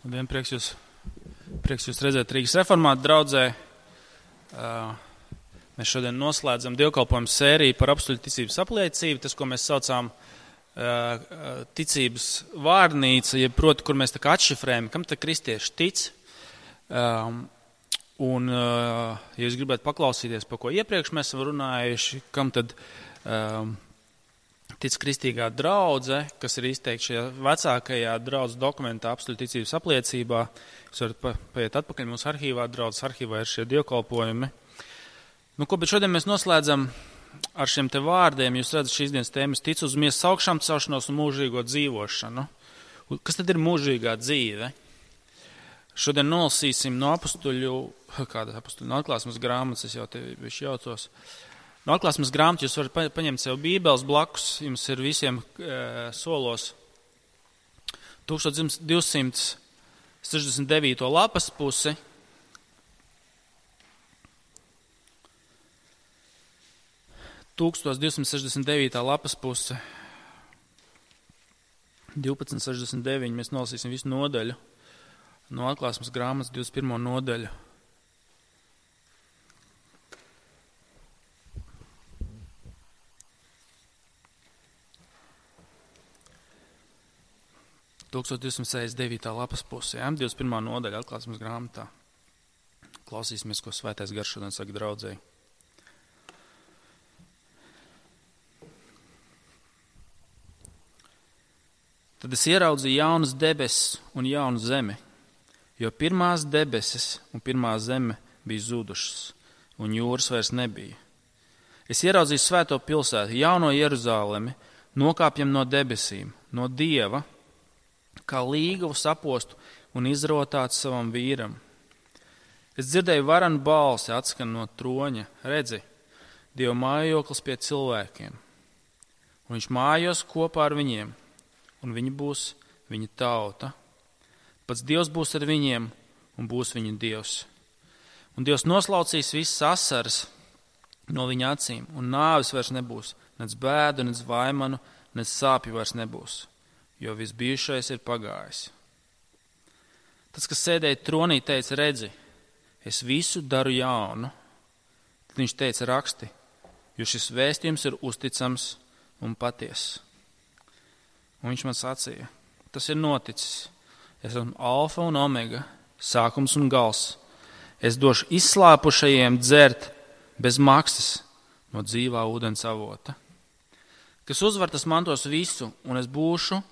Labdien, prieks jūs redzēt Rīgas reformātu draudzē. Mēs šodien noslēdzam dievkalpojumu sēriju par apstuļu ticības apliecību, tas, ko mēs saucām ticības vārnīca, jeb proti, kur mēs tā kā atšifrējam, kam tad kristieši tic. Ja jūs gribētu paklausīties, par ko iepriekš mēs esam runājuši, kam tad tic kristīgā draudze, kas ir izteikti šajā vecākajā draudzes dokumentā apstuļu ticības apliecībā. Jūs varat paiet atpakaļ mūsu arhīvā, draudzes arhīvā ir šie dievkalpojumi. Bet šodien mēs noslēdzam ar šiem te vārdiem. Jūs redzat šīs dienas tēmas ticu uz miesas augšām celšanos un mūžīgo dzīvošanu. Kas tad ir mūžīgā dzīve? Šodien nolasīsim no no atklāsmes grāmatas, es jau te bišķi jaucos. No atklāsmes grāmatas jūs varat paņemt sev bībeles blakus, jums ir visiem solos 1269. lapas pusi. Lapas puse 1269. Mēs nolasīsim visu nodaļu. No atklāsmes grāmatas 21. nodaļu. Lapas pusē, 21. nodaļa atklāsmes grāmatā. Klausīsimies, ko Svētais Gars šodien saka draudzēji. Tad es ieraudzīju jaunas debesis un jaunu zemi, jo pirmās debesis un pirmā zeme bija zudušas, un jūras vairs nebija. Es ieraudzīju svēto pilsētu, jauno Jeruzalemi, nokāpjam no debesīm, no Dieva, kā līgavu sapostu un izrotāts savam vīram. Es dzirdēju varanu balsi atskan no troņa, redzi, Dieva mājoklis pie cilvēkiem, un viņš mājos kopā ar viņiem, un viņi būs viņa tauta. Pats Dievs būs ar viņiem, un būs viņu Dievs. Un Dievs noslaucīs visas asaras no viņa acīm, un nāvis vairs nebūs, nec bēdu, nec vaimanu, nec sāpju vairs nebūs. Jo viss bijušais ir pagājis. Tas, kas sēdēja tronī, teica, redzi, es visu daru jaunu. Tad viņš teica, raksti, jo šis vēstījums ir uzticams un patiess. Un viņš man sacīja, tas ir noticis. Es esmu alfa un omega, sākums un gals. Es došu izslāpušajiem dzert bez maksas no dzīvā ūdens avota. Kas uzvar, tas mantos visu, un es būšu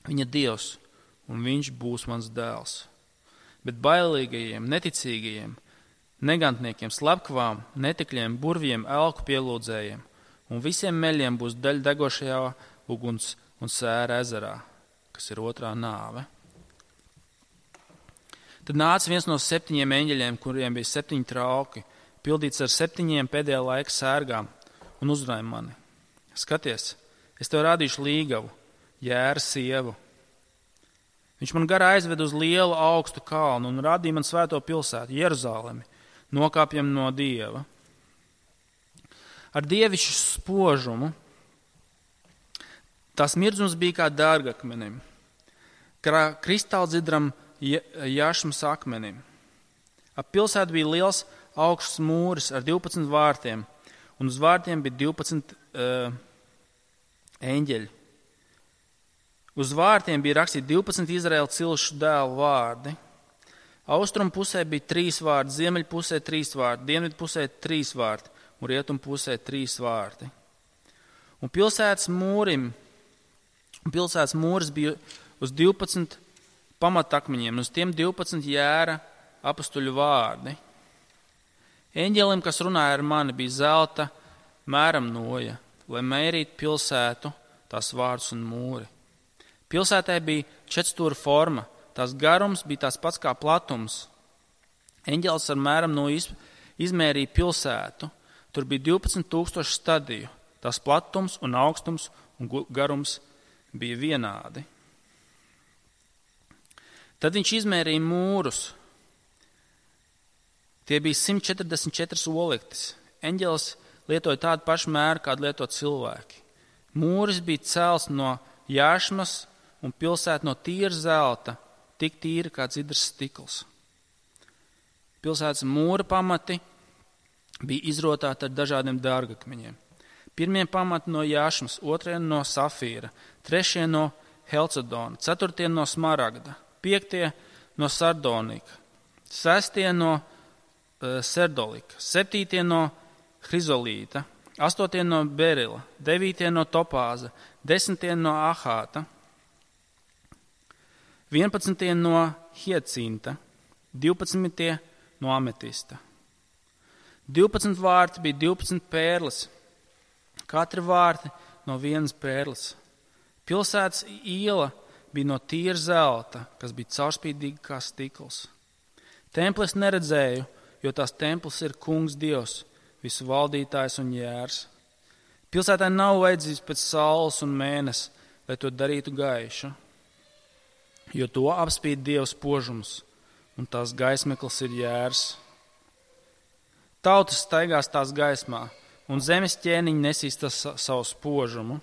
viņa Dievs, un viņš būs mans dēls. Bet bailīgajiem, neticīgajiem, negantniekiem, slepkavām, netikļiem, burviem, elku pielūdzējiem un visiem meļiem būs daļa degošajā uguns un sēra ezerā, kas ir otrā nāve. Tad nāca viens no 7 eņģeļiem, kuriem bija 7 trauki, pildīts ar 7 pēdējā laika sērgām, un uzrunāja mani. Skaties, es tev rādīšu līgavu, Jēra sievu. Viņš man garā aizved uz lielu augstu kalnu un rādīja man svēto pilsētu, Jeruzalemi, nokāpjam no Dieva. Ar dievišķu spožumu tās mirdzums bija kā dārgakmenim, kā kristāldzidram jašmas akmenim. Ap pilsētu bija liels augsts mūris ar 12 vārtiem, un uz vārtiem bija 12 eņģeļi. Uz vārtiem bija rakstīti 12 Izraēla cilšu dēlu vārdi. Austrum pusē bija 3 vārdi, ziemeļu pusē 3 vārdi, dienvidu pusē 3 vārdi un rietumu pusē 3 vārdi. Un pilsētas mūris bija uz 12 pamatakmeņiem, un uz tiem 12 Jēra apostuļu vārdi. Eņģelim, kas runāja ar mani, bija zelta mēram noja, lai mērītu pilsētu, tās vārdus un mūri. Pilsētai bija 4 forma, tās garums bija tās pats kā platums. Eņģelis ar mēram no izmērīja pilsētu. Tur bija 12,000 stadiju. Tās platums un augstums un garums bija vienādi. Tad viņš izmērīja mūrus. Tie bija 144 olektis. Eņģelis lietoja tādu pašu mēru, kādu lieto cilvēki. Mūris bija celts no jašmas un pilsēta no tīra zelta, tik tīra kā dzidrs stikls. Pilsētas mūra pamati bija izrotāti ar dažādiem dārgakmeņiem. Pirmie pamati no jāšmas, otrie no safīra, trešie no helcedona, ceturtie no smaragda, piektie no sardonika, sestie no serdolika, septītie no hrizolīta, astotie no berila, devītie no topāza, desmitie no ahāta, 11 no hiecinta, 12 no ametista. 12 vārti bija 12 pērles, katra vārti no vienas pērles. Pilsētas iela bija no tīra zelta, kas bija caurspīdīga kā stikls. Templis neredzēju, jo tās templis ir kungs Dievs, visu valdītājs un jērs. Pilsētai nav vajadzības pēc saules un mēnesi, lai to darītu gaišu, jo to apspīd Dievs spožums, un tās gaismeklis ir jērs. Tautas staigās tās gaismā, un zemes ķēniņi nesīs savu spožumu.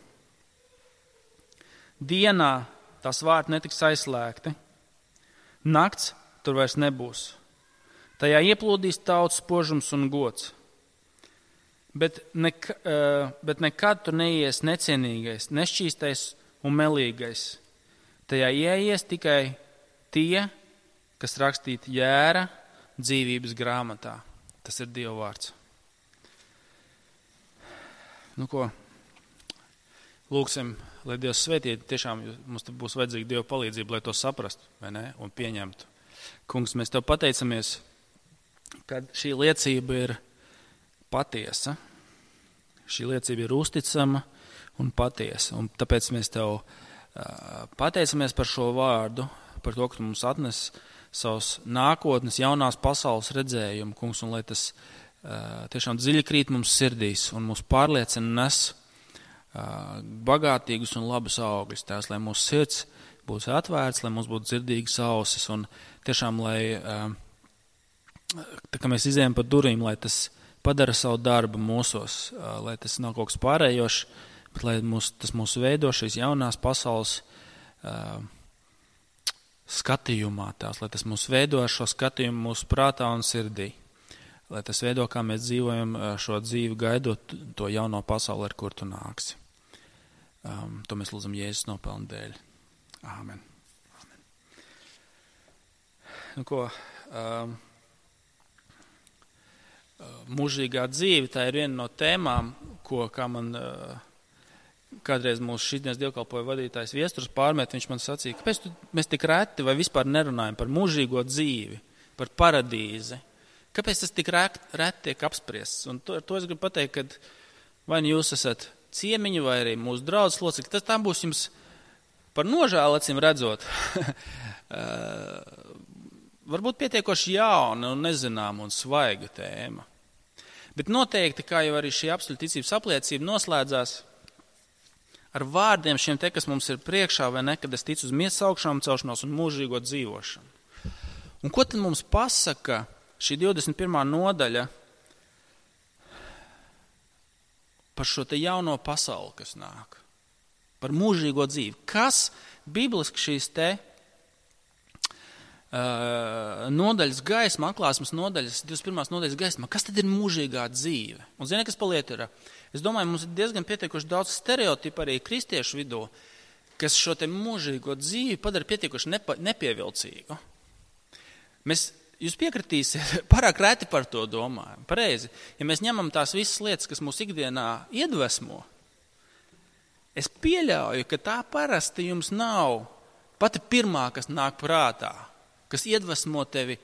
Dienā tās vārti netiks aizslēgti, nakts tur vairs nebūs. Tajā ieplūdīs tautas spožums un gods. Bet nekad tur neies necienīgais, nešķīstais un melīgais. Tajā ieies tikai tie, kas rakstīti jēra dzīvības grāmatā. Tas ir Dieva vārds. Nu ko, lūksim, lai Dievs svētītu, tiešām mums būs vajadzīga Dieva palīdzība, lai to saprastu, vai ne, un pieņemtu. Kungs, mēs Tev pateicamies, ka šī liecība ir patiesa. Šī liecība ir uzticama un patiesa, un tāpēc mēs Tev pateicamies par šo vārdu, par to, ka Tu mums atnes savus nākotnes, jaunās pasaules redzējumu, kungs, un lai tas tiešām dziļi krīt mums sirdīs un mūs pārliecina nes bagātīgus un labus augļus. Tās, lai mūsu sirds būtu atvērts, lai mums būtu dzirdīgas ausis, un tiešām, lai, tā kā mēs izējam pa durvīm, lai tas padara savu darbu mūsos, lai tas nav kaut kas pārējošs, bet lai tas mūs veido šīs jaunās pasaules skatījumā tās, lai tas mūs veido šo skatījumu mūsu prātā un sirdī, lai tas veido, kā mēs dzīvojam šo dzīvi, gaidot to jauno pasauli, ar kur Tu nāksi. To mēs lūdzam Jēzus nopelnu dēļ. Āmen. Āmen. Nu ko, mūžīgā dzīve, tā ir viena no tēmām, kā man kādreiz mūsu šīsdienas dievkalpoja vadītājs Viesturs pārmet, viņš man sacīja, kāpēc mēs tik reti vai vispār nerunājam par mūžīgo dzīvi, par paradīzi? Kāpēc tas tik reti tiek apspriests? Un to es gribu pateikt, ka vai nu jūs esat ciemiņi vai arī mūsu draudzes locekļi, tas tā būs jums par nožēlu acīm redzot. Varbūt pietiekoši jauna un nezināma un svaiga tēma. Bet noteikti, kā jau arī šī apstuļu ticības apliecība noslēdzās, ar vārdiem šiem te, kas mums ir priekšā, vai ne, kad es ticu uz miesas augšām celšanos un mūžīgo dzīvošanu. Un ko tad mums pasaka šī 21. nodaļa par šo te jauno pasauli, kas nāk? Par mūžīgo dzīvi. Kas bibliski šīs te nodaļas gaisma, atklāsmes nodaļas, 21. nodaļas gaisma, kas tad ir mūžīgā dzīve? Un zini, kas paliet ir? Es domāju, mums ir diezgan pietiekuši daudz stereotipu arī kristiešu vidū, kas šo te mūžīgo dzīvi padara pietiekuši nepievilcīgu. Jūs piekritīsiet, pārāk reti par to domājam. Pareizi, ja mēs ņemam tās visas lietas, kas mūs ikdienā iedvesmo, es pieļauju, ka tā parasti jums nav pati pirmā, kas nāk prātā, kas iedvesmo tevi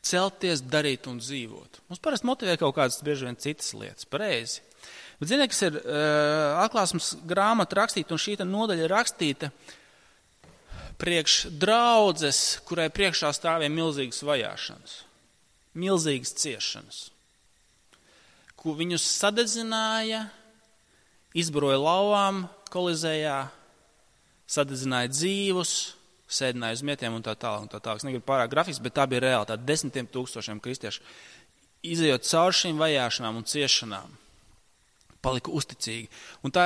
celties, darīt un dzīvot. Mums parasti motivē kaut kādas bieži vien citas lietas, pareizi. Bet ziniet, kas ir atklāsmes grāmata rakstīta, un šī nodaļa rakstīta priekš draudzes, kurai priekšā stāvēja milzīgas vajāšanas, milzīgas ciešanas, ko viņus sadedzināja, izbaroja lauvām kolizējā, sadedzināja dzīvus, sēdināja uz mietiem un tā tālāk. Es negribu pārāk grafiski, bet tā bija reāli, tā 10,000 kristiešu izejot cauri šīm vajāšanām un ciešanām. palika uzticīgi. Un tā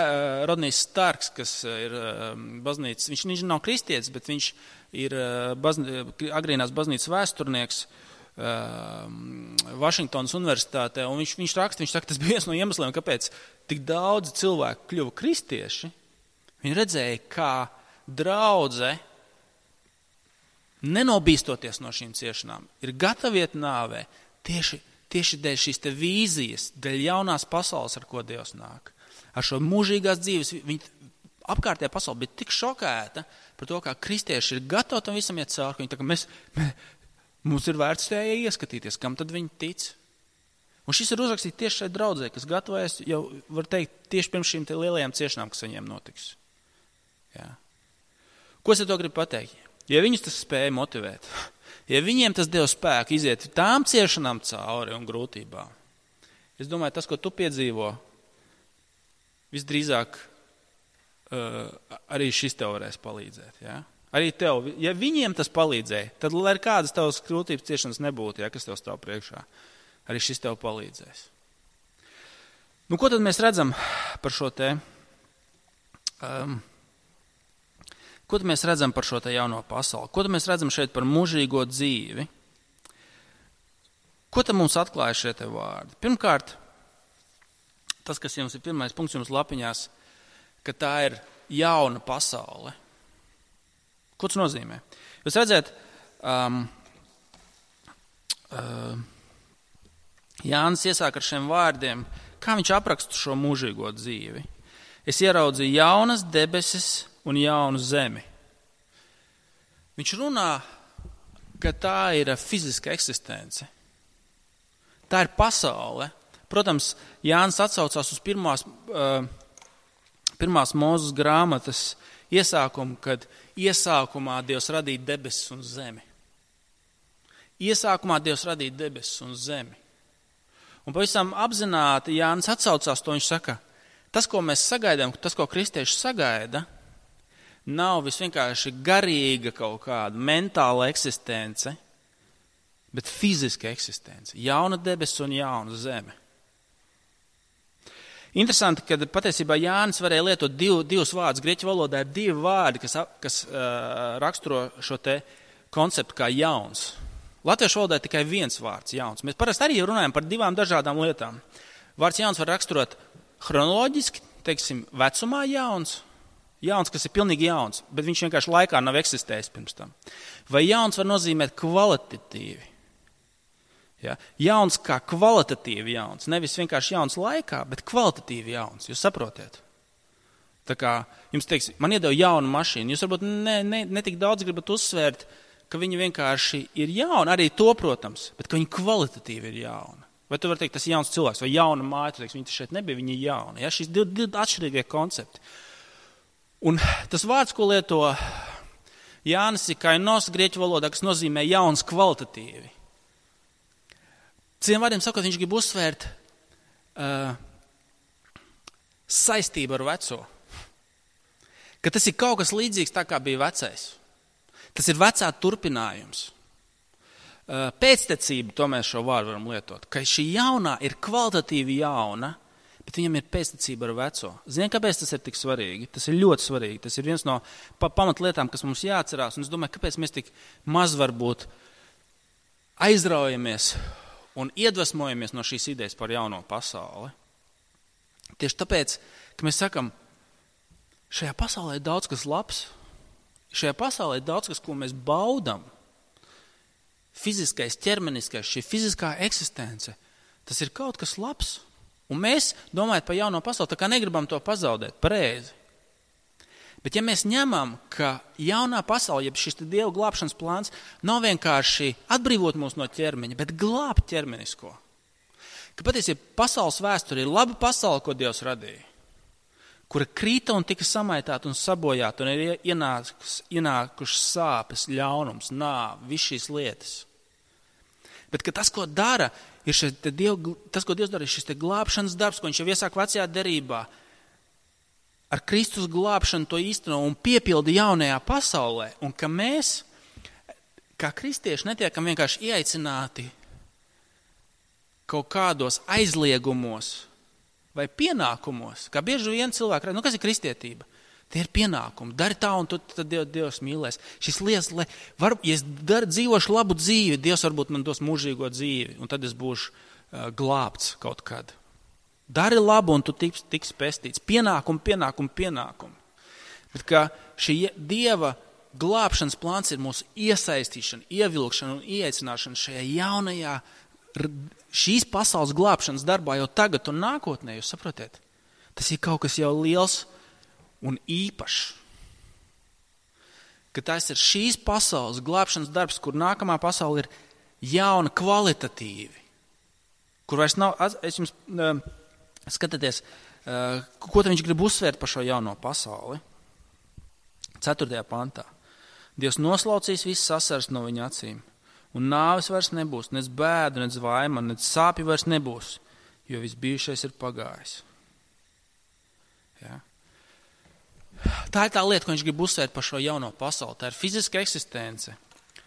Rodnijs Starks, kas ir baznīcas, viņš nav kristietis, bet viņš ir agrīnās baznīcas vēsturnieks Vašingtonas universitātē, un viņš raksta, viņš saka, tas bija viens no iemesliem, kāpēc tik daudz cilvēku kļuva kristieši. Viņi redzēja, kā draudze, nenobīstoties no šīm ciešanām, ir gatavi iet nāvē tieši dēļ šīs te vīzijas, dēļ jaunās pasaules, ar ko Dievs nāk. Ar šo mūžīgās dzīves, apkārtējā pasaule bija tik šokēta par to, kā kristieši ir gatavi tam visam iet cauri. Viņi tā kā mums ir vērts tajā ieskatīties, kam tad viņi tic. Un šis ir uzrakstīts tieši šai draudzē, kas gatavojas jau, var teikt, tieši pirms šīm te lielajām ciešanām, kas viņiem notiks. Jā. Ko es ar to gribu pateikt? Ja viņus tas spēja motivēt, ja viņiem tas deva spēku iziet tām ciešanām cauri un grūtībām, es domāju, tas, ko tu piedzīvo, visdrīzāk arī šis tev varēs palīdzēt. Ja? Arī tev, ja viņiem tas palīdzēja, tad, lai kādas tavas grūtības ciešanas nebūtu, ja, kas tev stāv priekšā, arī šis tev palīdzēs. Nu, ko tad mēs redzam par šo te... Ko tad mēs redzam par šo te jauno pasauli? Ko tad mēs redzam šeit par mūžīgo dzīvi? Ko tad mums atklāja šie te vārdi? Pirmkārt, tas, kas jums ir pirmais punkts jums lapiņās, ka tā ir jauna pasaule. Ko tas nozīmē? Jūs redzat, Jānis iesāk ar šiem vārdiem, kā viņš apraksta šo mūžīgo dzīvi. Es ieraudzīju jaunas debesis un jaunu zemi. Viņš runā, ka tā ir fiziska eksistence. Tā ir pasaule. Protams, Jānis atsaucās uz pirmās Mūzes grāmatas iesākumu, kad iesākumā Dievs radīja debesis un zemi. Iesākumā Dievs radīja debesis un zemi. Un pavisam apzināti Jānis atsaucās to, viņš saka, tas, ko mēs sagaidām, tas, ko kristieši sagaida, nav visvienkārši garīga kaut kāda mentāla eksistence, bet fiziska eksistence. Jauna debesis un jauna zeme. Interesanti, ka patiesībā Jānis varēja lietot divus vārdus. Grieķu valodā ir divi vārdi, kas raksturo šo te konceptu kā jauns. Latviešu valodā ir tikai viens vārds jauns. Mēs parasti arī runājam par divām dažādām lietām. Vārds jauns var raksturot chronoloģiski, teiksim, vecumā jauns, kas ir pilnīgi jauns, bet viņš vienkārši laikā nav eksistējis pirms tam. Vai jauns var nozīmēt kvalitatīvi? Ja? Jauns kā kvalitatīvi jauns, nevis vienkārši jauns laikā, bet kvalitatīvi jauns, jūs saprotiet? Tā kā jums teiks, man iedeva jaunu mašīnu, jūs varbūt ne tik daudz gribat uzsvērt, ka viņa vienkārši ir jauna, arī to, protams, bet ka viņa kvalitatīvi ir jauna. Vai tu vari teikt, tas ir jauns cilvēks, vai jauna māja, tu teiks, viņa šeit nebija, viņa ir jauna. Ja? Šīs divi atšķirīgie koncepti. Un tas vārds, ko lieto Jānis ir kainos grieķu valodā, kas nozīmē jauns kvalitatīvi. Citiem vārdiem sakot, viņš grib uzsvērt saistību ar veco. Ka tas ir kaut kas līdzīgs tā, kā bija vecais. Tas ir vecā turpinājums. Pēctecība, to mēs šo vārdu varam lietot. Ka šī jaunā ir kvalitatīvi jauna, bet viņam ir pēctecība ar veco. Zini, kāpēc tas ir tik svarīgi? Tas ir ļoti svarīgi. Tas ir viens no pamatlietām, kas mums jāatcerās. Un es domāju, kāpēc mēs tik maz varbūt aizraujamies un iedvesmojamies no šīs idejas par jauno pasauli. Tieši tāpēc, ka mēs sakam, šajā pasaulē ir daudz kas labs. Šajā pasaulē ir daudz kas, ko mēs baudam. Fiziskais, ķermeniskais, šī fiziskā eksistence, tas ir kaut kas labs. Un mēs, domājot par jauno pasauli, tā kā negribam to pazaudēt, pareizi. Bet ja mēs ņemam, ka jaunā pasaule, jeb šis Dieva glābšanas plāns, nav vienkārši atbrīvot mūs no ķermeņa, bet glābt ķermenisko. Ka patiesībā pasaules vēsture ir laba pasaule, ko Dievs radīja, kura krīta un tika samaitāta un sabojāta, un ir ienākušas sāpes, ļaunums, nāve, viss šīs lietas. Bet ka tas, ko dara, tas, ko Dievs dara, ir šis glābšanas darbs, ko viņš jau iesāk vecajā derībā, ar Kristus glābšanu to īsteno un piepilda jaunajā pasaulē, un ka mēs, kā kristieši, netiekam vienkārši ieaicināti kaut kādos aizliegumos vai pienākumos, kā bieži vien cilvēki redz, kas ir kristietība? Tie ir pienākumi. Dari tā, un tad Dievs mīlēs. Šis lietas, ja es dzīvošu labu dzīvi, Dievs varbūt man dos mūžīgo dzīvi, un tad es būšu glābts kaut kad. Dari labu, un tu tiks pestīts. Pienākumi. Bet kā šī Dieva glābšanas plāns ir mūsu iesaistīšana, ievilkšana un ieaicināšana šajā jaunajā, šīs pasaules glābšanas darbā jau tagad un nākotnē, jūs saprotiet? Tas ir kaut kas jau liels un īpašs. Ka tas ir šīs pasaules glābšanas darbs, kur nākamā pasaule ir jauna kvalitatīvi. Kur vairs nav, es jums skatieties, ko tad viņš grib uzsvērt par šo jauno pasauli. 4. pantā. Dievs noslaucīs visas asaras no viņa acīm, un nāves vairs nebūs, nec bēdu, nec vaima, nec sāpju vairs nebūs, jo viss bijušais ir pagājis. Ja? Tā ir tā lieta, ko viņš grib uzsvērt par šo jauno pasauli. Tā ir fiziska eksistence.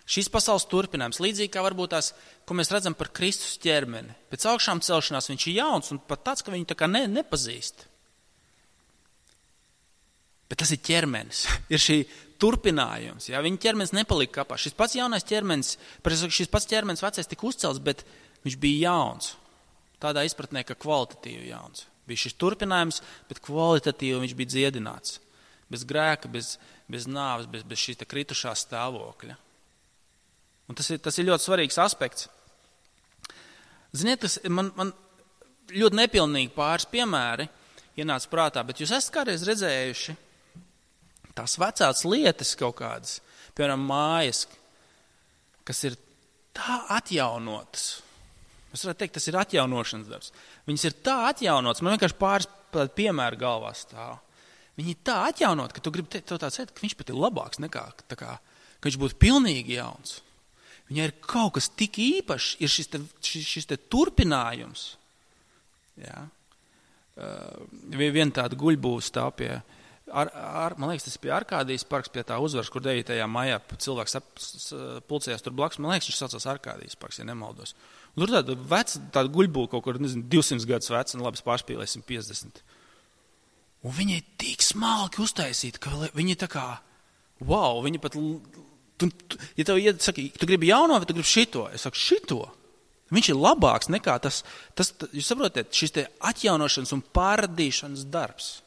Šīs pasaules turpinājums, līdzīgi kā varbūt tās, ko mēs redzam par Kristus ķermeni. Pēc augšām celšanās viņš ir jauns un pat tāds, ka viņu tā kā nepazīst. Bet tas ir ķermenis, ir šī turpinājums. Ja? Viņa ķermenis nepalika kapā. Šis pats jaunais ķermenis, šis pats ķermenis vecais tika uzcelts, bet viņš bija jauns. Tādā izpratnē, ka kvalitatīvi jauns. Bija šis turpinājums, bet kvalitatīvi viņš bija dziedināts. Bez grēka, bez nāves, bez šīs kritušā stāvokļa. Un tas ir ļoti svarīgs aspekts. Ziniet, man ļoti nepilnīgi pāris piemēri ienāca prātā, bet jūs esat kādreiz redzējuši tās vecās lietas kaut kādas, piemēram, mājas, kas ir tā atjaunotas. Es varētu teikt, tas ir atjaunošanas darbs. Viņas ir tā atjaunotas, man vienkārši pāris piemēri galvā stāv. Viņi ir tā atjaunot, ka tu gribi teikt, ka viņš pat ir labāks nekā, ka viņš būtu pilnīgi jauns. Viņai ir kaut kas tik īpašs, ir šis te turpinājums. Ja? Viena tāda guļbūve stāv pie, man liekas, tas pie Arkādijas parks, pie tā uzvaras, kur 9. maijā cilvēks pulcējās tur blakus. Man liekas, viņš saucās Arkādijas parks, ja nemaldos. Un tur tāda guļbūve kaut kur, 200 gadus veca, un labi, pārspīlēsim 50. Un viņi ir tik smalki uztaisīti, ka viņi tā kā, wow, viņi pat, ja tev saka, tu gribi jauno, vai tu gribi šito? Es saku, šito. Viņš ir labāks nekā tas jūs saprotiet, šis te atjaunošanas un pārradīšanas darbs.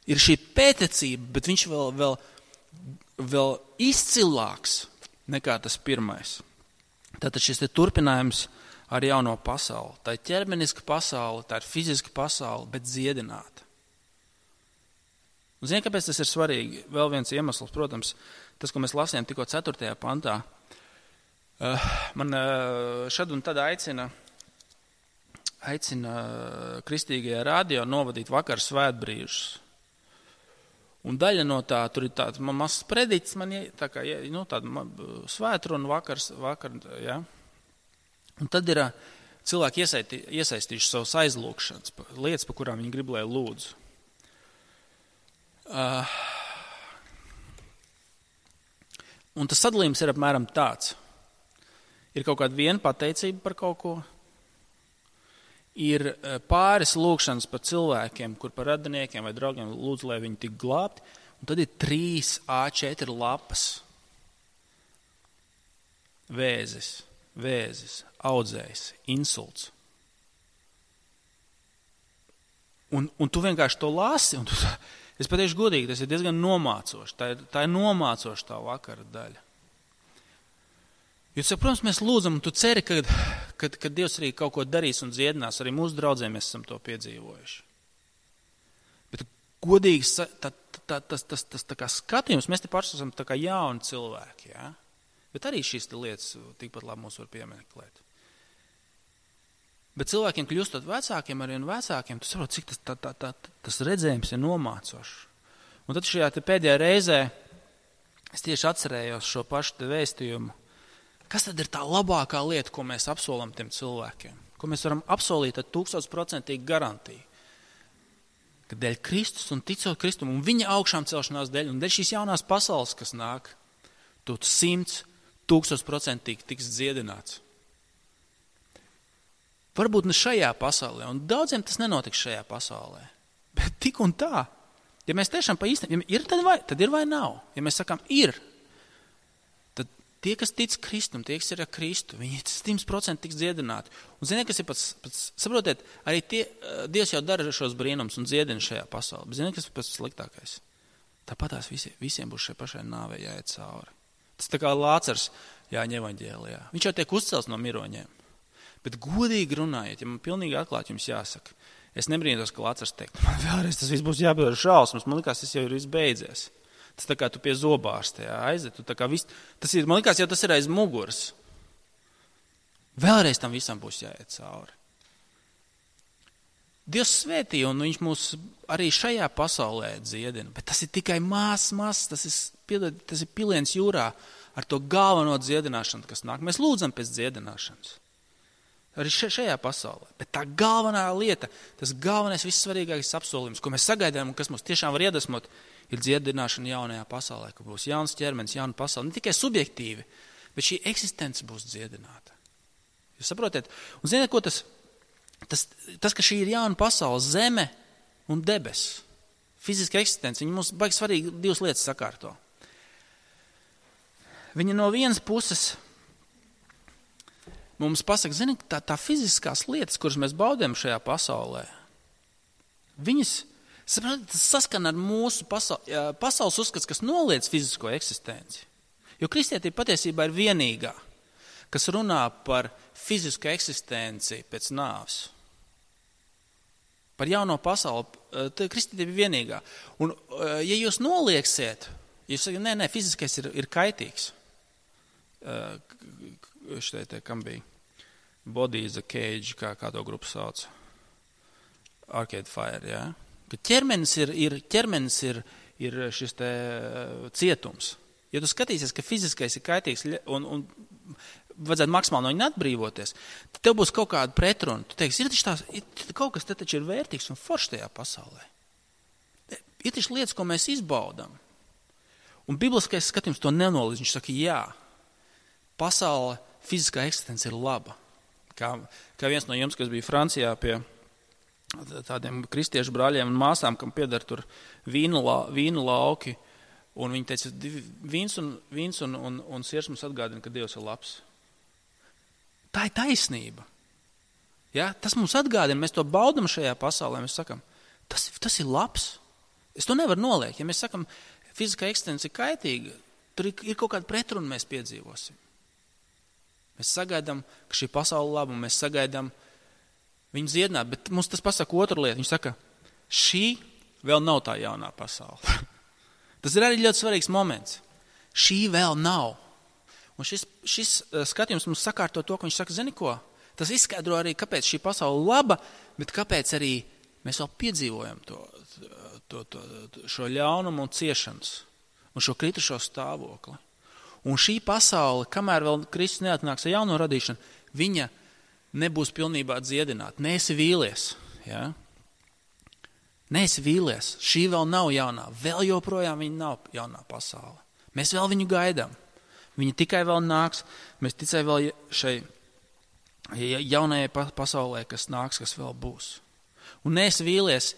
Ir šī pētecība, bet viņš vēl izcilāks nekā tas pirmais. Tātad šis te turpinājums ar jauno pasauli. Tā ir ķermeniska pasaule, tā ir fiziska pasaule, bet dziedināta. Un ziniet, kāpēc tas ir svarīgi? Vēl viens iemesls, protams, tas, ko mēs lasījām tikko 4. pantā. Man šad un tad aicina kristīgajā radio novadīt vakar svētbrīžus. Un daļa no tā, tur ir tāds mazs prediķis, tāda svētruna vakar, ja. Un tad ir cilvēki iesaistījuši savus aizlūgšanas, lietas, par kurām viņi grib, lai lūdzu. Un tas sadalījums ir apmēram tāds. Ir kaut kāda viena pateicība par kaut ko, ir pāris lūgšanas par cilvēkiem, kur par radiniekiem vai draugiem lūdzu, lai viņi tik glābti, un tad ir 3 A4 lapas. Vēzis, audzējs, insults. Un tu vienkārši to lasi, un es pateikšu godīgi, tas ir diezgan nomācoši. Tā ir nomācoša tā vakara daļa. Jo, protams, mēs lūdzam, un tu ceri, ka Dievs arī kaut ko darīs un dziedinās. Arī mūsu draudzēm mēs esam to piedzīvojuši. Bet godīgi, tas tā kā skatījums, mēs te paši esam tā kā jauni cilvēki, ja? Bet arī šīs lietas tikpat labi mūs var piemeklēt. Bet cilvēkiem kļūstot vecākiem, arī un vecākiem, tu saproti, cik tas redzējums ir nomācošs. Un tad šajā pēdējā reizē es tieši atcerējos šo pašu te vēstījumu. Kas tad ir tā labākā lieta, ko mēs apsolam tiem cilvēkiem? Ko mēs varam apsolīt ar 1000% garantiju? Ka dēļ Kristus un ticot Kristum un viņa augšām celšanās dēļ un dēļ šīs jaunās pasaules, kas nāk, tu 1000% tiks dziedināts. Varbūt ne šajā pasaulē, un daudziem tas nenotiks šajā pasaulē. Bet tik un tā, ja mēs tiešām pa īstenību, ja ir, tad ir vai nav. Ja mēs sakām, ir, tad tie, kas tic Kristum, tie, kas ir ar Kristu, viņi 100% tiks dziedināti. Un ziniet, kas ir pats saprotiet, arī Dievs jau dara šos brīnums un dziedina šajā pasaulē. Bet ziniet, kas ir pats sliktākais? Tāpatās visiem būs šai pašai nāvei jāiet cauri. Tas tā kā Lācars Jāņa evaņģēlijā. Viņš jau tiek uzcelts no miroņiem. Bet godīgi runājot, ja man pilnīgi atklāt jums jāsaka, es nebrīnos, ka Lācars teikt, man vēlreiz tas viss būs jāpiedara šausmas, man likās, tas jau ir viss beidzies. Tas tā kā tu pie zobārsta aiziet, man likās, jau tas ir aiz muguras. Vēlreiz tam visam būs jāiet cauri. Dievs svētīja, un viņš mūs arī šajā pasaulē dziedina, bet tas ir tikai mās, tas ir piliens jūrā ar to galveno dziedināšanu, kas nāk. Mēs lūdzam pēc dziedināšanas. Arī šajā pasaulē. Bet tā galvenā lieta, tas galvenais, vissvarīgākais apsolījums, ko mēs sagaidām un kas mums tiešām var iedvesmot, ir dziedināšana jaunajā pasaulē, ka būs jauns ķermenis, jauna pasaule. Ne tikai subjektīvi, bet šī eksistence būs dziedināta. Jūs saprotiet? Un ziniet, ko tas, ka šī ir jauna pasaule, zeme un debes, fiziska eksistence, viņi mums baigi svarīgi divas lietas sakārto. Viņa no vienas puses mums pasaka, zini, tā fiziskās lietas, kuras mēs baudām šajā pasaulē, viņas saskana ar mūsu pasaules uzskats, kas noliedz fizisko eksistenci. Jo kristietība patiesībā ir vienīgā, kas runā par fizisku eksistenci pēc nāves. Par jauno pasauli, kristietība ir vienīgā. Un ja jūs nolieksiet, jūs sakat, nē, fiziskais ir kaitīgs. Kam bija Body is a Cage, kā to grupu sauc. Arcade Fire, jā. Ka ķermenis ir šis te cietums. Ja tu skatīsies, ka fiziskais ir kaitīgs un vajadzētu maksimāli no viņa atbrīvoties, tad tev būs kaut kāda pretruna. Tu teiksi, kaut kas te taču ir vērtīgs un foršs tajā pasaulē. Ir taču lietas, ko mēs izbaudam. Un bibliskais skatījums to nenolīdz. Viņš saka, jā, pasaule, fiziskā eksistence ir laba. Kā viens no jums, kas bija Francijā pie tādiem kristiešu brāļiem un māsām, kam pieder tur vīnu lauki, un viņi teica, vīns un siers mums atgādina, ka Dievs ir labs. Tā ir taisnība. Ja? Tas mums atgādina, mēs to baudam šajā pasaulē, mēs sakam, tas ir labs. Es to nevaru noliekt. Ja mēs sakam, fiziskā eksistence ir kaitīga, tur ir kaut kāda pretruna mēs piedzīvosim. Mēs sagaidām, ka šī pasaule laba, un mēs sagaidām viņu dziedināt, bet mums tas pasaka otru lietu. Viņš saka, šī vēl nav tā jaunā pasaule. Tas ir arī ļoti svarīgs moments. Šī vēl nav. Un šis skatījums mums sakārto to, ka viņš saka, zini ko? Tas izskaidro arī, kāpēc šī pasaule laba, bet kāpēc arī mēs vēl piedzīvojam šo ļaunumu un ciešanas un šo kritušo stāvokli. Un šī pasaule, kamēr vēl Kristus neatnāks ar jauno radīšanu, viņa nebūs pilnībā dziedināta. Neesi vīlies. Ja? Neesi vīlies. Šī vēl nav jaunā. Vēl joprojām viņa nav jaunā pasaule. Mēs vēl viņu gaidām. Viņa tikai vēl nāks. Mēs ticai vēl šai jaunajai pasaulē, kas nāks, kas vēl būs. Un neesi vīlies,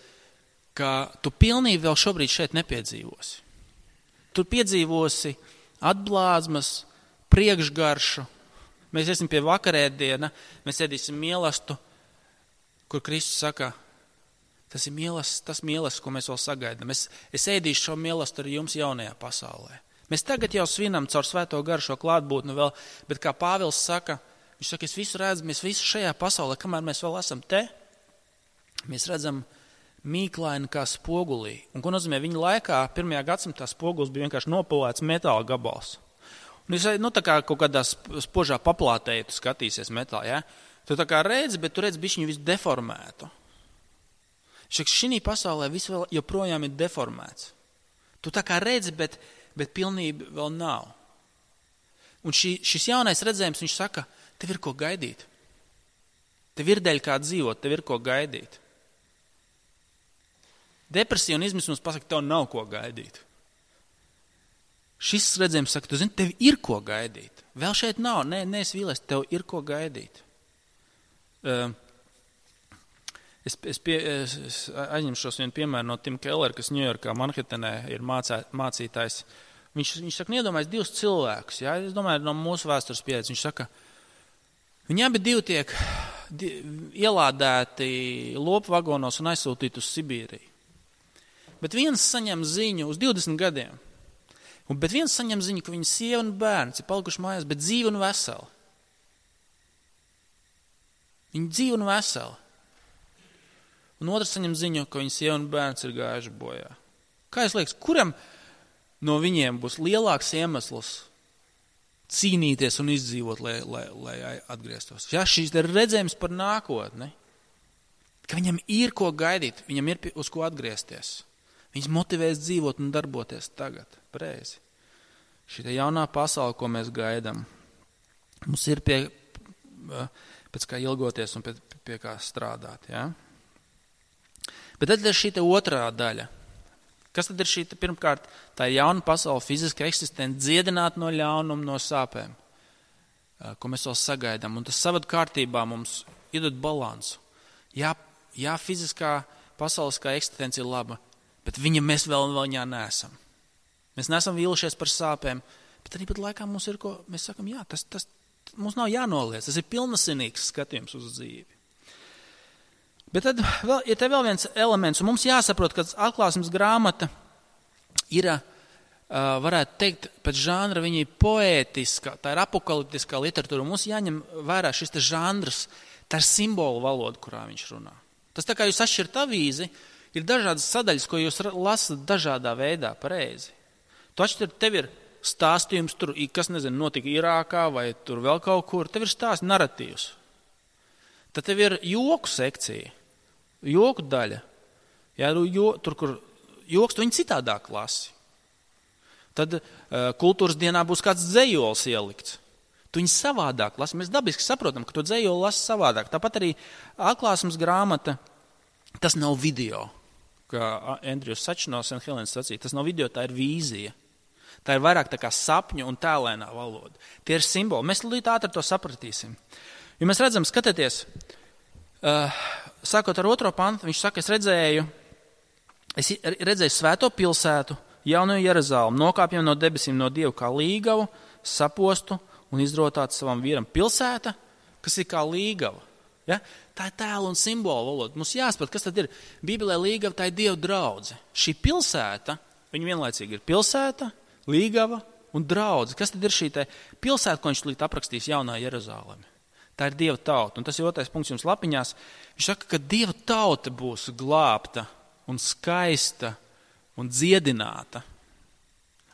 ka tu pilnīgi vēl šobrīd šeit nepiedzīvosi. Tu piedzīvosi atblāzmas, priekšgaršu. Mēs iesim pie vakarēdiena, mēs ēdīsim mielastu, kur Kristus saka, tas mielasts, ko mēs vēl sagaidām. Es ēdīšu šo mielastu ar jums jaunajā pasaulē. Mēs tagad jau svinam caur svēto garu šo klātbūtni vēl, bet kā Pāvils saka, viņš saka, es visu redzu, mēs visu šajā pasaulē, kamēr mēs vēl esam te, mēs redzam mīklaini kā spogulī. Un ko nozīmē viņa laikā, 1. gadsimtā spogulis bija vienkārši nopulēts metāla gabals. Un jūs, tā kā kaut kādā spožā paplātē, ja tu skatīsies metālu, ja? Tu tā kā redzi, bet tu redzi bišķiņu visu deformētu. Šī pasaulē viss vēl joprojām ir deformēts. Tu tā kā redzi, bet pilnība vēl nav. Un šis jaunais redzējums, viņš saka, tev ir ko gaidīt. Tev ir dēļ kā dzīvot, tev ir ko gaidīt. Depresija un izmisums pasaka, tev nav ko gaidīt. Šis redzējums saka, tu zini, tev ir ko gaidīt. Vēl šeit nav, neesi vīlies, tev ir ko gaidīt. Es aizņemšos vienu piemēru no Tim Keller, kas Ņujorkā, Manhetenē ir mācītājs. Viņš saka, iedomājies 2 cilvēkus. Ja? Es domāju, no mūsu vēstures pieredzes. Viņš saka, viņi abi 2 tiek ielādēti lopu vagonos un aizsūtīti uz Sibīriju. Bet viens saņem ziņu uz 20 gadiem. Bet viens saņem ziņu, ka viņa sieva un bērns ir palikuši mājās, bet dzīvi un veseli. Viņa dzīvi un veseli. Un otrs saņem ziņu, ka viņa sieva un bērns ir gājuši bojā. Kā jūs liekas, kuram no viņiem būs lielāks iemesls cīnīties un izdzīvot, lai atgrieztos? Ja, šīs ir redzējums par nākotni, ka viņam ir ko gaidīt, viņam ir uz ko atgriezties. Viņus motivēs dzīvot un darboties tagad, pareizi. Šī jaunā pasaule, ko mēs gaidām, mums ir pēc kā ilgoties un pie kā strādāt. Ja? Bet tad ir šī otrā daļa. Kas tad ir šī? Pirmkārt, tā ir jauna pasaule, fiziska eksistence, dziedināt no ļaunuma, no sāpēm, ko mēs vēl sagaidām. Un tas savadu kārtībā mums iedod balansu. Jā, fiziskā pasauliskā eksistence ir laba, bet mēs vēl viņā neesam. Mēs neesam vīlušies par sāpēm, bet arī pat laikā mums ir ko, mēs sakam, jā, tas mums nav jānoliec, tas ir pilnasinīgs skatījums uz dzīvi. Bet tad ir te vēl viens elements, un mums jāsaprot, ka atklāsmes grāmata ir, varētu teikt, pēc žanra viņa ir poētiska, tā ir apokaliptiskā literatūra, un mums jāņem vērā šis te žanrs, tā ir simbolu valoda, kurā viņš runā. Tas tā kā jūs atšķirat avīzi, ir dažādas sadaļas, ko jūs lasat dažādā veidā, pareizi. Tu atšķirat, tev ir stāstījums, tur, kas notika Irākā vai tur vēl kaut kur, tev ir stāsts naratīvs. Tad tev ir joku sekcija, joku daļa. Jā, tur, kur joks, tu viņi citādāk lasi. Tad kultūras dienā būs kāds dzejols ielikts. Tu viņi savādāk lasi. Mēs dabiski saprotam, ka tu dzejoli lasi savādāk. Tāpat arī atklāsmes grāmata, tas nav video, kā Andrjus Sačs no St. Helens sacīja. Tas nav video, tā ir vīzija. Tā ir vairāk tā kā sapņu un tēlēnā valoda. Tie ir simboli. Mēs līdz ātri to sapratīsim. Jo mēs redzam, skatieties, sākot ar 2. pantu, viņš saka, es redzēju svēto pilsētu, jauno Jeruzalemi, nokāpjam no debesīm no Dieva kā līgavu, sapostu un izrotātu savam vīram. Pilsēta, kas ir kā līgava. Ja? Tā ir tēla un simbolu valoda. Mums jāsaprot, kas tad ir. Bībelē līgava, tā ir Dieva draudze. Šī pilsēta, viņa vienlaicīgi ir pilsēta, līgava un draudze. Kas tad ir šī pilsēta, ko viņš līdz aprakstīs jaunā Jeruzalemi? Tā ir Dieva tauta. Un tas ir 2. punkts jums lapiņās. Viņš saka, ka Dieva tauta būs glābta un skaista un dziedināta.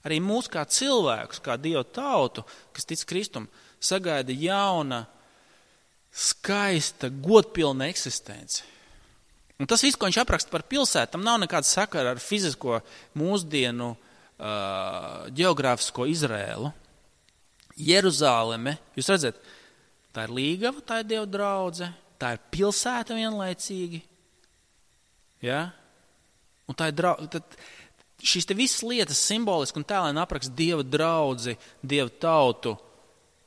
Arī mūs kā cilvēkus, kā Dieva tautu, kas tic Kristum, sagaida jauna, skaista, godpilna eksistence. Un tas viss, ko viņš apraksta par pilsētu, tam nav nekāda sakara ar fizisko mūsdienu ģeogrāfisko Izrēlu. Jeruzāleme, jūs redzat, tā ir līgava, tā ir Dieva draudze, tā ir pilsēta vienlaicīgi. Ja? Un tā ir šīs te visas lietas simboliski un tēlēni apraksta Dieva draudzi, Dieva tautu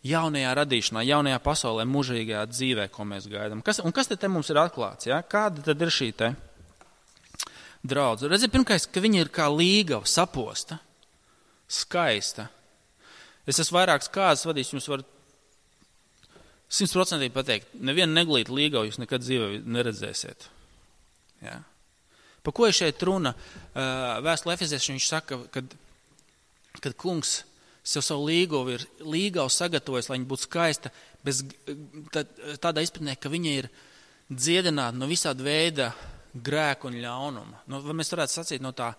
jaunajā radīšanā, jaunajā pasaulē, mūžīgajā dzīvē, ko mēs gaidām. Un kas te mums ir atklāts? Ja? Kāda tad ir šī te draudze? Redziet, pirmkārt, ka viņa ir kā līgava, saposta, skaista. Es esmu vairākas kārtas vadījis, jums var 100% pateikt, nevienu neglītu līgavu jūs nekad dzīvē neredzēsiet. Ja? Pa ko ir šeit runa? Vēstulē Efeziešiem viņš saka, kad kungs sev savu līgavu sagatavojas, lai viņa būtu skaista, tādā izpratnē, ka viņa ir dziedināta no visāda veida grēku un ļaunuma. Mēs varētu sacīt no tā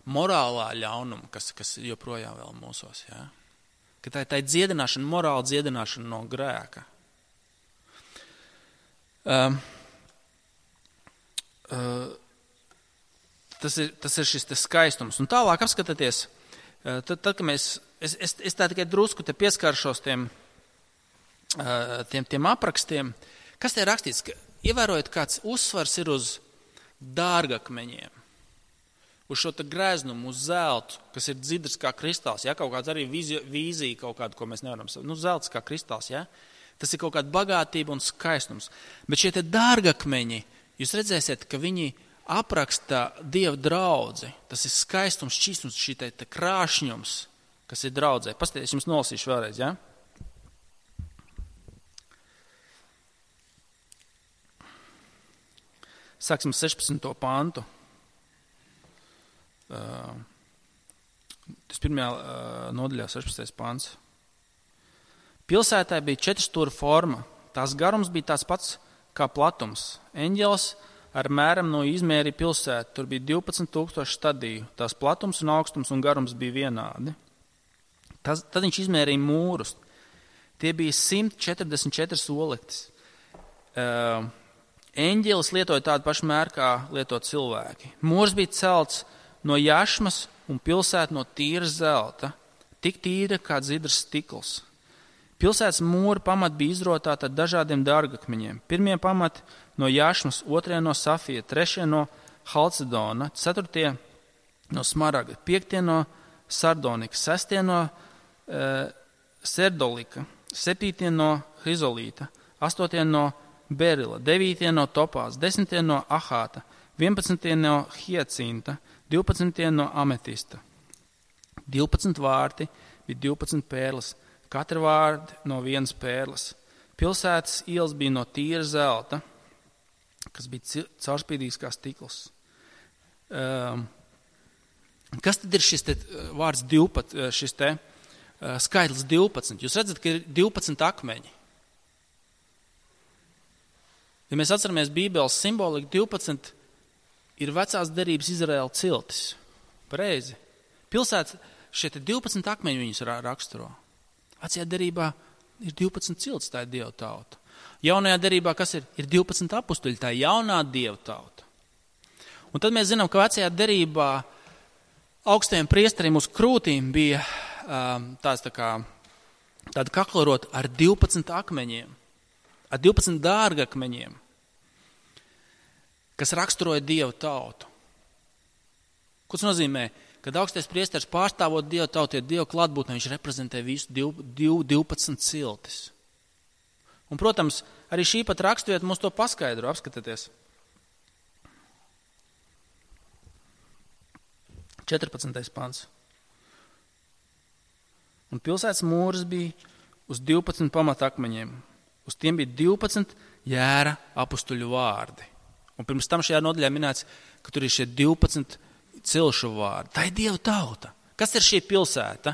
morālā ļaunuma, kas joprojām vēl mūsos. Ja? Ka tā ir dziedināšana, morāla dziedināšana no grēka. Tas ir šis skaistums. Un tālāk apskatieties, tad kad es tā tikai drusku te pieskaršos tiem aprakstiem, kas te ir rakstīts, ka ievērojot kāds uzsvars ir uz dārgakmeņiem, uz šo grēznumu, uz zeltu, kas ir dzidrs kā kristāls, ja? Kaut kāds arī vīzija kaut kādu, ko mēs nevaram saprast. Zelts kā kristāls, ja? Tas ir kaut kāda bagātība un skaistums. Bet šie te dārgakmeņi jūs redzēsiet, ka viņi apraksta Dieva draudzi. Tas ir skaistums, šķīstums, šī te krāšņums, kas ir draudzē. Pastāties, jums nolasīšu vēlreiz, ja? Sāksim 16. pantu. Tas pirmajā nodaļā 16. pants. Pilsētai bija 4 stūra forma. Tās garums bija tāds pats kā platums. Eņģelis ar mēram no izmēri pilsētu. Tur bija 12,000 stadiju. Tās platums un augstums un garums bija vienādi. Tad viņš izmērīja mūrus. Tie bija 144 olektis. Eņģelis lietoja tādu pašu mēru, kā lieto cilvēki. Mūrs bija celts no jašmas un pilsēta no tīra zelta, tik tīra kā dzidrs stikls. Pilsētas mūra pamati bija izrotāti ar dažādiem dārgakmeņiem. Pirmie pamati no jašmas, otrie no safija, trešie no halcedona, ceturtie no smaragda, piektie no sardonika, sestie no serdolika, septītie no hrizolīta, astotie no berila, 9 no topās, 10 no ahāta, 11 no hiecinta, 12 no ametista. 12 vārti bija 12 pērles, katra vārdi no 1 pērles. Pilsētas ielas bija no tīra zelta, kas bija caurspīdīgs kā stikls. Kas tad ir šis te vārds 12, šis te skaitlis 12? Jūs redzat, ka ir 12 akmeņi. Ja mēs atceramies Bībeles simboliku, 12 ir vecās derības Izraēla ciltis. Pareizi. Pilsētas šie 12 akmeņi viņus raksturo. Vecajā derībā ir 12 ciltis, tā ir Dieva tauta. Jaunajā derībā, kas ir? Ir 12 apustuļi, tā ir jaunā Dieva tauta. Un tad mēs zinām, ka vecajā derībā augstajiem priesterim uz krūtīm bija tāda kaklarota ar 12 akmeņiem. Ar 12 dārgakmeņiem, kas raksturoja Dieva tautu. Ko tas nozīmē? Kad augstais priesteris pārstāvot Dieva tautu, ir Dieva klātbūtne, viņš reprezentē visu 12 ciltis. Un, protams, arī šī pat raksturieta mums to paskaidro, apskatieties. 14. pants. Un pilsētas mūris bija uz 12 pamatakmeņiem. Uz tiem bija 12 jēra apustuļu vārdi. Un pirms tam šajā nodaļā minēts, ka tur ir šie 12 cilšu vārdi. Tā ir Dieva tauta. Kas ir šī pilsēta?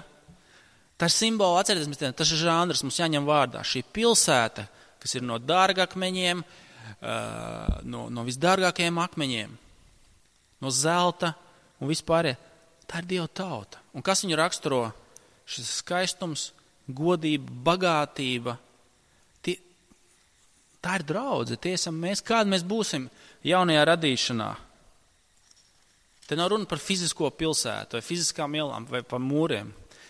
Tā ir simbola, atcerieties, tas ir žanrs, mums jāņem vārdā. Šī pilsēta, kas ir no dārgakmeņiem, no visdārgākajiem akmeņiem, no zelta un vispārējie, tā ir Dieva tauta. Un kas viņu raksturo? Šis skaistums, godība, bagātība. Tā ir draudze, tie esam mēs, kādi mēs būsim jaunajā radīšanā. Te nav runa par fizisko pilsētu, vai fiziskām ielām, vai par mūriem.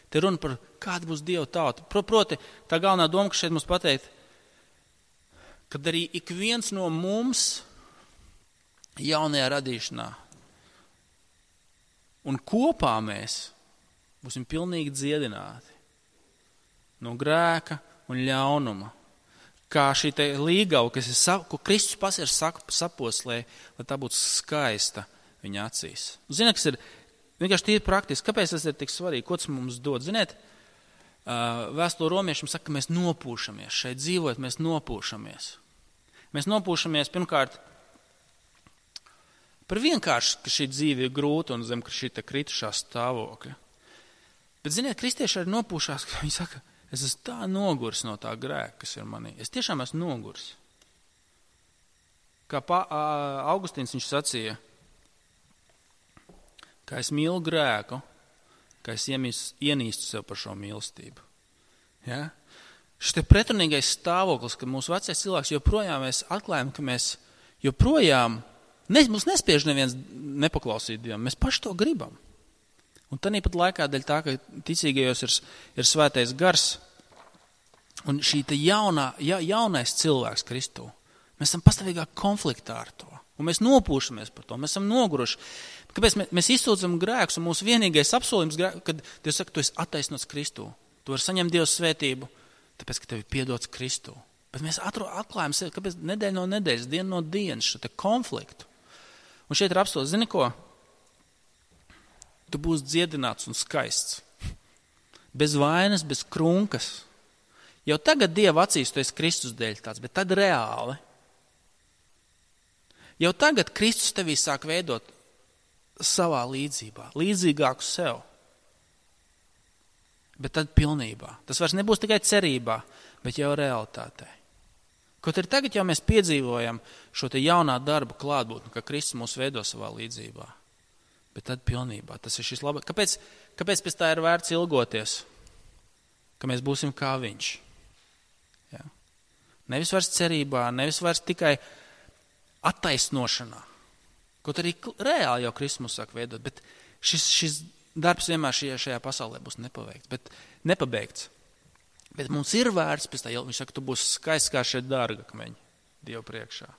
Te runa par kāda būs Dieva tauta. Proti, tā galvenā doma, ka šeit mums pateikt, kad arī ik viens no mums jaunajā radīšanā un kopā mēs būsim pilnīgi dziedināti no grēka un ļaunuma. Kā šī te līgava, ko Kristus pats ir saposlē, lai tā būtu skaista viņa acīs. Ziniet, kas ir vienkārši tīri praktiski. Kāpēc tas ir tik svarīgi? Ko tas mums dod? Ziniet, vēstule romiešiem saka, ka mēs nopūšamies. Šeit dzīvojot, mēs nopūšamies. Mēs nopūšamies pirmkārt par vienkārši, ka šī dzīve ir grūta un zem, ka šī te kritušā stāvokļa. Bet, ziniet, kristieši arī nopūšās, ka viņi saka, es esmu tā noguris no tā grēka, kas ir manī. Es tiešām esmu noguris. Kā Augustīns viņš sacīja, ka es mīlu grēku, ka es ienīstu sev par šo mīlestību. Ja? Šis te pretrunīgais stāvoklis, ka mūsu vecais cilvēks joprojām mēs atklājam, ka mēs joprojām, mums nespiež neviens nepaklausīt Dievam, mēs paši to gribam. Un tāpat laikā dēļ tā, ka ticīgajos ir svētais gars un šī te jaunais cilvēks Kristū. Mēs esam pastāvīgā konfliktā ar to. Un mēs nopūšamies par to. Mēs esam noguruši. Kāpēc mēs izsūdzam grēkus un mūsu vienīgais apsolījums, kad Dievs saka, tu esi attaisnots Kristū. Tu vari saņemt Dieva svētību, tāpēc, ka tev ir piedots Kristū. Bet mēs atklājam sevi, kāpēc nedēļa no nedēļas, diena no dienas, šo te konfliktu. Un šeit ir apstāsts, zini ko? Tu būsi dziedināts un skaists. Bez vainas, bez krunkas. Jau tagad Dieva acīs tu esi Kristus dēļ tāds, bet tad reāli. Jau tagad Kristus tevī sāk veidot savā līdzībā, līdzīgāku sev. Bet tad pilnībā. Tas vairs nebūs tikai cerībā, bet jau realitātē. Kaut arī tagad jau mēs piedzīvojam šo te jaunā darba klātbūtni, ka Kristus mūs veido savā līdzībā. Bet tad pilnībā. Tas ir šis labāk. Kāpēc pēc tā ir vērts ilgoties? Ka mēs būsim kā viņš. Ja? Nevis vairs cerībā, nevis vairs tikai attaisnošanā. Kaut arī reāli jau Kristus mūs sāk veidot, bet šis darbs vienmēr šajā pasaulē būs nepabeigts. Bet mums ir vērts pēc tā, viņš saka, tu būsi skaists kā šie dārgakmeņi Dievu priekšā.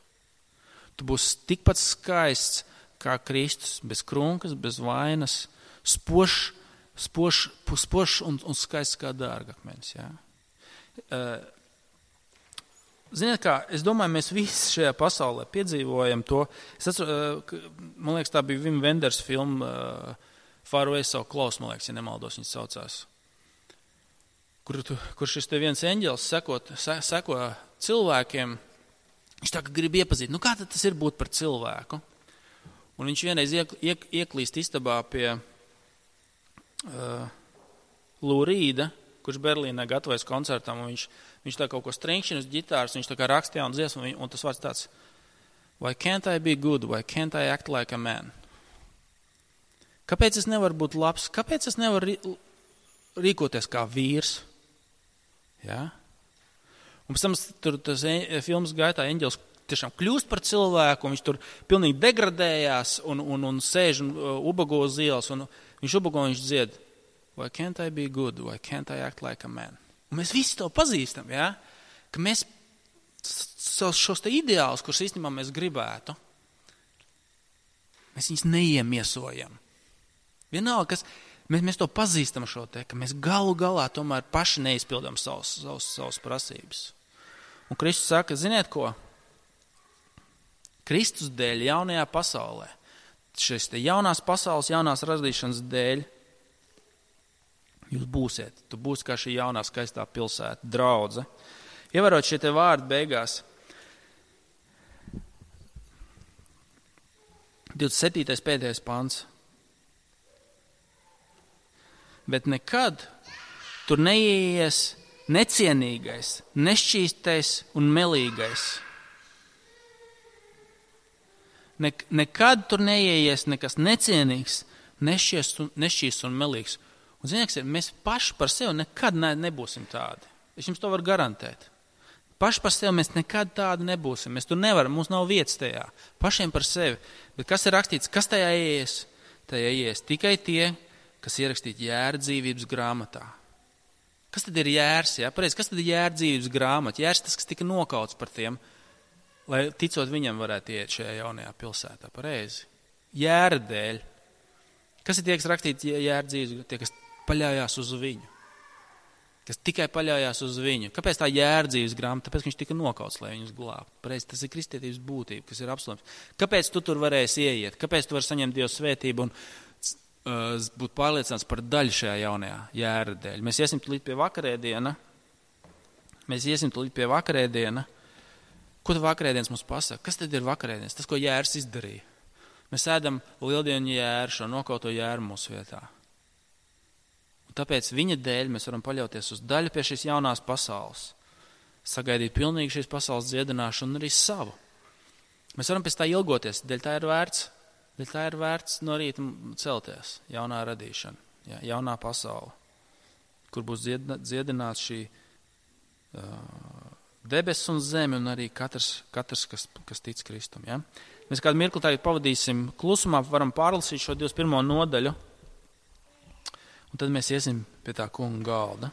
Tu būsi tikpat skaists kā Kristus, bez krunkas, bez vainas, spošs un skaists kā dārgakmenis. Ja? Ziniet kā, es domāju, mēs visi šajā pasaulē piedzīvojam to. Man liekas, tā bija Wim Wenders filma Far Away So Close, man liekas, ja nemaldos, viņas saucās. Kur šis te viens eņģelis seko cilvēkiem, viņš tā kā grib iepazīt, kā tad tas ir būt par cilvēku? Un viņš vienreiz ieklīst istabā pie Lou Reeda, kurš Berlīnē gatavojas koncertam, un viņš tā kaut ko strinkšķina uz ģitāras, viņš tā kā raksta jaunu dziesmu, un tas vārds tāds, why can't I be good, why can't I act like a man? Kāpēc es nevaru būt labs? Kāpēc es nevaru rīkoties kā vīrs? Ja? Un pēc tam tur tas filmas gaitā eņģelis tiešām kļūst par cilvēku, un viņš tur pilnīgi degradējās un sēž un ubago uz ielas, un viņš ubago un viņš dzied, why can't I be good, why can't I act like a man? Un mēs visi to pazīstam, ja? Ka mēs šos te ideālus, kurus īstenībā mēs gribētu, mēs viņus neiemiesojam. Vienalga, mēs to pazīstam šo te, ka mēs galu galā tomēr paši neizpildām savas prasības. Un Kristus saka, ziniet ko? Kristus dēļ jaunajā pasaulē, šis te jaunās pasaules, jaunās radīšanas dēļ, jūs būsiet. Tu būsi kā šī jaunā skaistā pilsēta, draudze. Ievērot šie te vārdi beigās. 27. pēdējais pants. Bet nekad tur neieies necienīgais, nešķīstais un melīgais. Nekad tur neieies nekas necienīgs, nešķīsts un melīgs. Un zinieks, mēs paši par sevi nekad nebūsim tādi. Es jums to varu garantēt. Paši par sevi mēs nekad tādi nebūsim. Mēs tur nevaram, mums nav vietas tajā. Pašiem par sevi. Bet kas ir rakstīts, kas tajā ieies? Tajā ieies tikai tie, kas ierakstīti Jēra dzīvības grāmatā. Kas tad ir Jērs? Ja? Pareizi, kas tad ir Jēra dzīvības grāmata? Jērs tas, kas tika nokauts par tiem, lai ticot viņam varētu iet šajā jaunajā pilsētā. Pareizi. Jēra dēļ. Kas ir tie, kas rakstīti Jēra dzīvības? Tie, kas paļaujās uz viņu. Kas tikai paļaujās uz viņu. Kāpēc tā Jēra dzīves grāmata? Tāpēc, ka viņš tika nokauts, lai viņus glābtu. Pareizi, tas ir kristietības būtība, kas ir apslēpts. Kāpēc tu tur varēsi ieiet? Kāpēc tu vari saņemt Dieva svētību un būt pārliecināts par daļu šajā jaunajā Jēra dēļ? Mēs iesim tulīt pie vakarēdiena. Ko tad vakarēdienas mums pasaka? Kas tad ir vakarēdienas? Tas, ko Jērs izdarīja. Mēs ēdam lieldienu Jēru, šo nokauto Jēru mūsu vietā. Tāpēc viņa dēļ mēs varam paļauties uz daļu pie šīs jaunās pasaules. Sagaidīt pilnīgi šīs pasaules dziedināšanu un arī savu. Mēs varam pēc tā ilgoties, dēļ tā ir vērts no rīta celties, jaunā radīšana, ja, jaunā pasaule, kur būs dziedināts šī debesis un zeme un arī katrs kas tic Kristum. Ja. Mēs kādu mirkli tagad pavadīsim klusumā, varam pārlasīt šo 21. nodaļu. Un tad mēs iesim pie tā kunga galda.